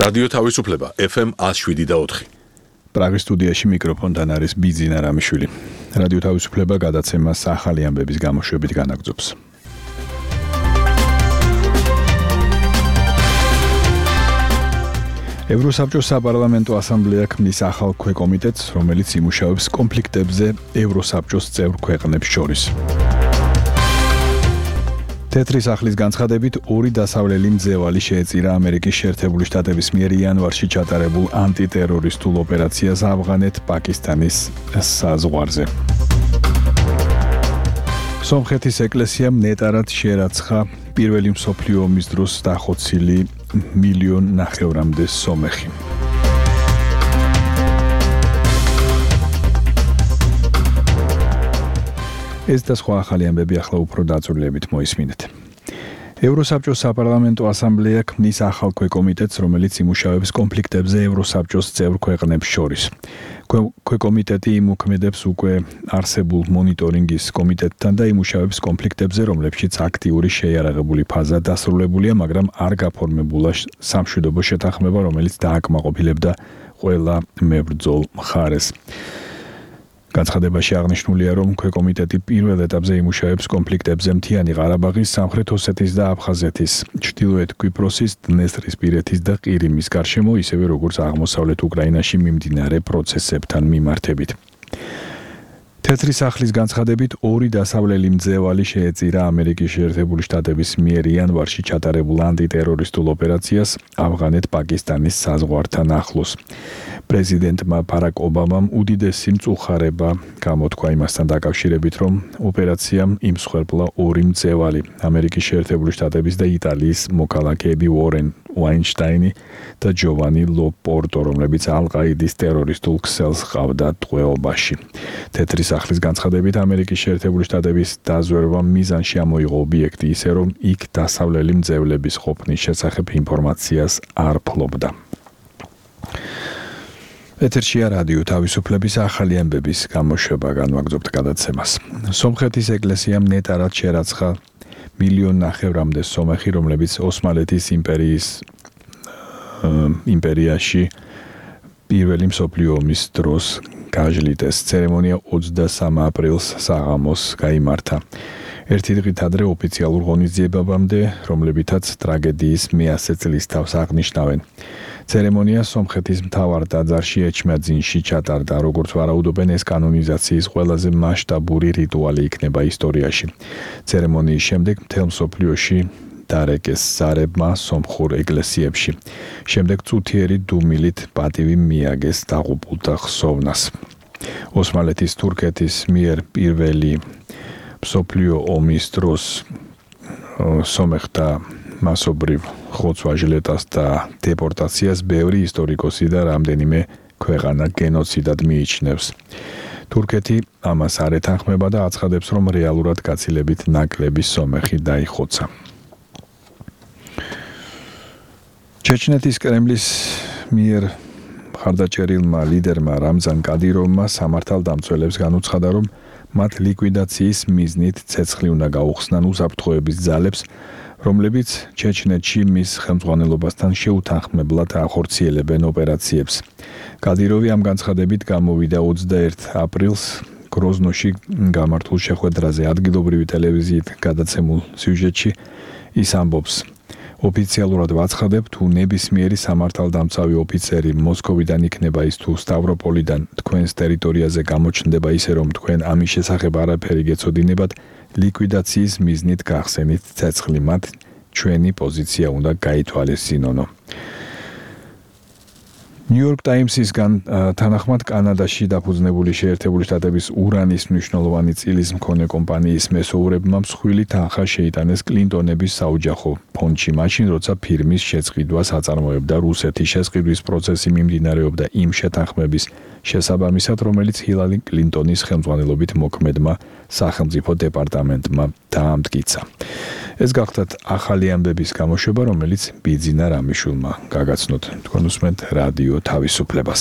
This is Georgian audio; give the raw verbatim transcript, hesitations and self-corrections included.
რადიო თავისუფლება ეფ ემ one oh seven და four. პრაღის სტუდიაში მიკროფონთან არის ბიძინა რამიშვილი. რადიო თავისუფლება გადაცემას ახალი ამბების გამოშვებით განაგრძობს. ევროსაბჭოს საპარლამენტო ასამბლეა ქმნის ახალ ქვეკომიტეტს, რომელიც იმუშავებს კონფლიქტებზე ევროსაბჭოს წევრ ქვეყნებს შორის. თეთრი სახლის განცხადებით ორი დასავლელი მძევალი შეეწირა ამერიკის შეერთებული შტატების მიერ იანვარში ჩატარებულ ანტიტერორისტულ ოპერაციას ავღანეთ-პაკისტანის საზღვარზე. სომხეთის ეკლესიამ ნეტარად შერაცხა პირველი მსოფლიო ომის დროს დახოცილი მილიონ ნახევრამდე სომეხი. ეს და სხვა ახალი ამბები ახლა უფრო დაწვრილებით მოისმინეთ. ევროსაბჭოს საპარლამენტო ასამბლეა ქმნის ახალ ქვეკომიტეტს, რომელიც იმუშავებს კონფლიქტებზე ევროსაბჭოს წევრ ქვეყნებს შორის. ქვეკომიტეტი იმოქმედებს უკვე არსებულ მონიტორინგის კომიტეტთან და იმუშავებს კონფლიქტებზე, რომლებშიც აქტიური შეიარაღებული ფაზა დასრულებულია, მაგრამ არ გაფორმებულა სამშვიდობო შეთანხმება, რომელიც დააკმაყოფილებდა ყველა მებრძოლ მხარეს. განცხადებაში აღნიშნულია, რომ ქვეკომიტეტი პირველ ეტაპზე იმუშავებს კონფლიქტებზე მთიანი ყარაბაღის, სამხრეთ ოსეთის და აფხაზეთის, ჩრდილოეთ კვიპროსის, დნესტრისპირეთის და ყირიმის გარშემო, ისევე როგორც აღმოსავლეთ უკრაინაში მიმდინარე პროცესებთან მიმართებით. თეთრი სახლის განცხადებით ორი დასავლელი მძევალი შეეწირა ამერიკის შეერთებული შტატების მიერ იანვარში ჩატარებულ ანტიტერორისტულ ოპერაციას ავღანეთ-პაკისტანის საზღვართან ახლოს. პრეზიდენტმა ბარაკ ობამამ უდიდესი მწუხარება გამოთქვა იმასთან დაკავშირებით, რომ ოპერაციამ იმსხვერპლა ორი მძევალი, ამერიკის შეერთებული შტატების და იტალიის მოქალაქეები უორენ ვაინშტაინი და ჯოვანი ლოპორტო, რომლებიც ალ-ყაიდის ტერორისტულ ქსელს ჰყავდათ ტყვეობაში. თეთრი სახლის განცხადებით, ამერიკის შეერთებული შტატების დაზვერვამ მიზანში ამოიღო ობიექტი ისე, რომ იქ დასავლელი მძევლების ყოფნის შესახებ ინფორმაციას არ ფლობდა. ეთერშია რადიო თავისუფლების ახალი ამბების გამოშვება, განვაგრძობთ გადაცემას. სომხეთის ეკლესიამ ნეტარად შერაცხა მილიონ ნახევრამდე სომეხი, რომლებიც ოსმალეთის იმპერიის იმპერიაში პირველი მსოფლიო ომის დროს გაჟლიტეს. ცერემონია ოცდასამ აპრილს საღამოს გაიმართა. ერთი დღით ადრე ოფიციალურ ღონისძიებამდე, რომლებითაც ტრაგედიის მეასე წლის თავს აღნიშნავენ. ცერემონია სომხეთის მთავარ ტაძარში ეჩმაძინში ჩატარდა, როგორც ვარაუდობენ, ეს კანონიზაციის ყველაზე მასშტაბური რიტუალი იქნება ისტორიაში. ცერემონიის შემდეგ მთელ მსოფლიოში დარეკეს ზარებმა სომხურ ეკლესიებში. შემდეგ წუთიერი დუმილით პატივი მიაგეს დაღუპულთა ხსოვნას. ოსმალეთის თურქეთის მიერ პირველი მსოფლიო ომის დროს სომეხთა მასობრივ ხოცვა-ჟლეტას და დეპორტაციას ბევრი ისტორიკოსი და რამდენიმე ქვეყანა გენოციდად მიიჩნევს. თურქეთი ამას არ ეთანხმება და აცხადებს, რომ რეალურად გაცილებით ნაკლები სომეხი დაიხოცა. ჩეჩნეთის კრემლის მიერ მხარდაჭერილმა ლიდერმა რამზან კადიროვმა სამართალდამცველებს განუცხადა, რომ მათ ლიკვიდაციის მიზნით ცეცხლი უნდა გაუხსნან უსაფრთხოების ძალებს, რომლებიც ჩეჩნეთში მის ხელმძღვანელობასთან შეუთანხმებლად ახორციელებენ ოპერაციებს. კადიროვი ამ განცხადებით გამოვიდა ოცდაერთი აპრილს გროზნოში გამართულ შეხვედრაზე. ადგილობრივი ტელევიზიით გადაცემულ სიუჟეტში ის ამბობს: ოფიციალურად ვაცხადებ, თუ ნებისმიერი სამართალდამცავი ოფიცერი მოსკოვიდან იქნება ის თუ სტავროპოლიდან თქვენს ტერიტორიაზე გამოჩნდება ისე, რომ თქვენ ამის შესახებ არაფერი გეცოდინებათ, ლიკვიდაციის მიზნით გახსენით ცეცხლი, მათ ჩვენი პოზიცია უნდა გაითვალისწინონო. ნიუ-იორკ ტაიმსისგან თანახმად კანადაში დაფუძნებული შეერთებული შტატების ურანის მნიშვნელოვანი წილის მქონე კომპანიის მესოურებმა მსხვილი თანხა შეიტანეს კლინტონების საოჯახო ფონდში, მაშინ როცა ფირმის შეწყვიტვას აწარმოებდა რუსეთი. შესყიდვის პროცესი მიმდინარეობდა იმ შეთანხმების შესაბამისად, რომელიც ჰილარი კლინტონის ხელმძღვანელობით მოქმედმა სახელმწიფო დეპარტამენტმა დაამტკიცა. ეს გახლდათ ახალი ამბების გამოშვება, რომელიც ბიძინა რამიშვილმა გაგაცნოთ. თქვენ უსმენთ რადიო თავისუფლებას.